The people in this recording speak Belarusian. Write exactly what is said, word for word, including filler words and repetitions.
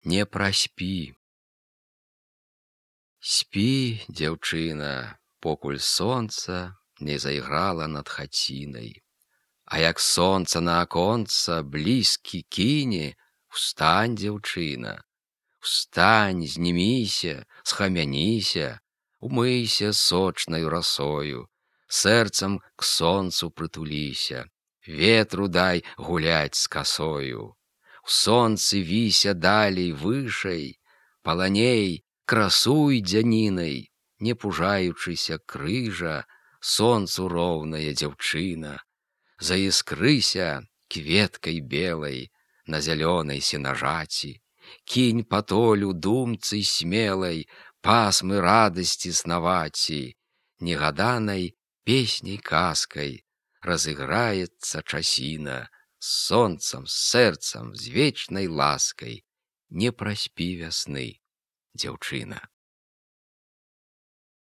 не праспі. Спі, дзяўчына, покуль сонца не зайграла над хацінай. А як сонца на аконца блізкі кіне, устань, дзяўчына, устань, зніміся, схамяніся, умыйся сочнаю расою, сэрцам к сонцу прытуліся, ветру дай гуляць з касою. У сонцы віся далей вышэй, паланей, красуй дзянінай, не пужаючыся крыжа, сонцу роўная дзяўчына. Заіскрыся кветкай белай на зялёнай сенажаці, кінь па толю думцы смелай, пасмы радасці снаваці, негаданай песняй казкай разыграецца часіна, з сонцам, з сэрцам, з вечнай ласкай, не праспі вясны, дзяўчына.